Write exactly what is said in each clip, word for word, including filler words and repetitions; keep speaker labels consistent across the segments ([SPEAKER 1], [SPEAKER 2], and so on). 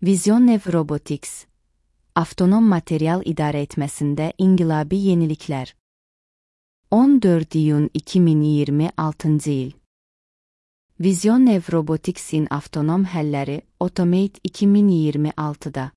[SPEAKER 1] VisionNev Robotics, avtonom material idarə etməsində inqilabi yeniliklər. on dörd iyun iki min iyirmi altıncı il. VisionNev Robotics'in avtonom həlləri Automate iki min iyirmi altıda.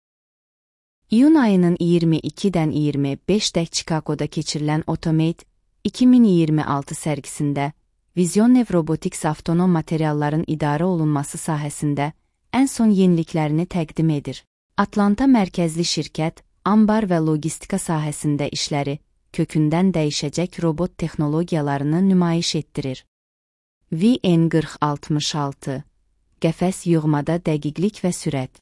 [SPEAKER 1] İyun ayının iyirmi ikidən iyirmi beşdə Chicago'da keçirilən Automate iki min iyirmi altı sərgisində VisionNev Robotics avtonom materialların idarə olunması sahəsində ən son yeniliklərini təqdim edir. Atlanta mərkəzli şirkət, ambar və logistika sahəsində işləri kökündən dəyişəcək robot texnologiyalarını nümayiş etdirir. V N qırx altmış altı Qəfəs yığmada dəqiqlik və sürət.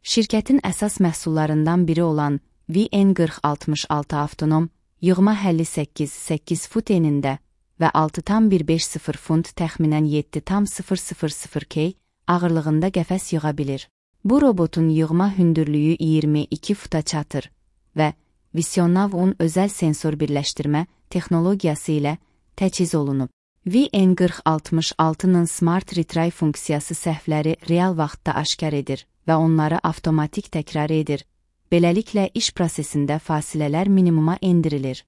[SPEAKER 1] Şirkətin əsas məhsullarından biri olan V N qırx altmış altı avtonom yığma həlli səkkiz səkkiz fut enində və altı tam bir beş sıfır funt təxminən yeddi tam sıfır sıfır sıfır kg ağırlığında qəfəs yığa bilir. Bu robotun yığma hündürlüyü iyirmi iki futa çatır və VisionNav'un özəl sensor birləşdirmə texnologiyası ilə təchiz olunub. V N qırx altmış altının Smart Retry funksiyası səhvləri real vaxtda aşkar edir və onları avtomatik təkrar edir. Beləliklə iş prosesində fasilələr minimuma endirilir.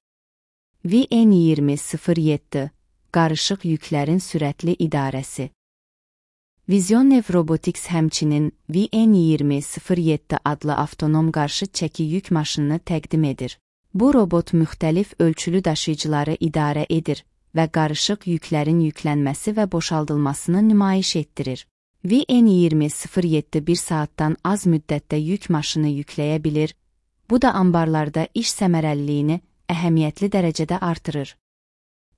[SPEAKER 1] V N iyirmi sıfır yeddi Qarışıq yüklərin sürətli idarəsi. VisionNev Robotics həmçinin V N iyirmi sıfır yeddi adlı avtonom qarşı çəki yük maşınını təqdim edir. Bu robot müxtəlif ölçülü daşıyıcıları idarə edir və qarışıq yüklərin yüklənməsi və boşaldılmasını nümayiş etdirir. V N iyirmi sıfır yeddi bir saatdan az müddətdə yük maşını yükləyə bilir, bu da ambarlarda iş səmərəliliyini əhəmiyyətli dərəcədə artırır.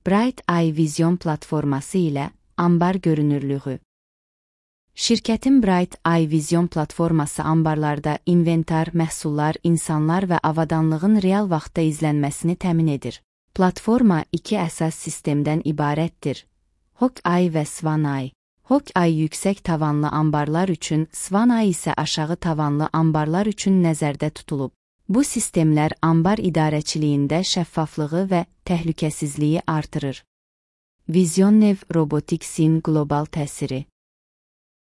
[SPEAKER 1] Bright Eye Vision platforması ilə ambar görünürlüyü. Şirkətin Bright Eye Vision platforması ambarlarda inventar, məhsullar, insanlar və avadanlığın real vaxtda izlənməsini təmin edir. Platforma iki əsas sistemdən ibarətdir: Hawkeye və Swaneye. Hawkeye yüksək tavanlı ambarlar üçün, Swaneye isə aşağı tavanlı ambarlar üçün nəzərdə tutulub. Bu sistemlər ambar idarəçiliyində şəffaflığı və təhlükəsizliyi artırır. VisionNev Robotics'in qlobal təsiri.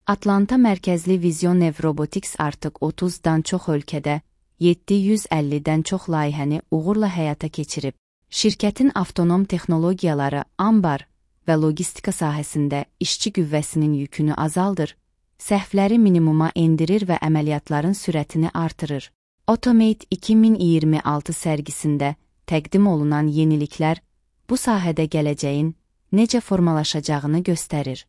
[SPEAKER 1] Atlanta mərkəzli VisionNev Robotics artıq otuzdan çox ölkədə yeddi yüz əllidən çox layihəni uğurla həyata keçirib. Şirkətin avtonom texnologiyaları ambar və logistika sahəsində işçi qüvvəsinin yükünü azaldır, səhvləri minimuma endirir və əməliyyatların sürətini artırır. Automate iki min iyirmi altı sərgisində təqdim olunan yeniliklər bu sahədə gələcəyin necə formalaşacağını göstərir.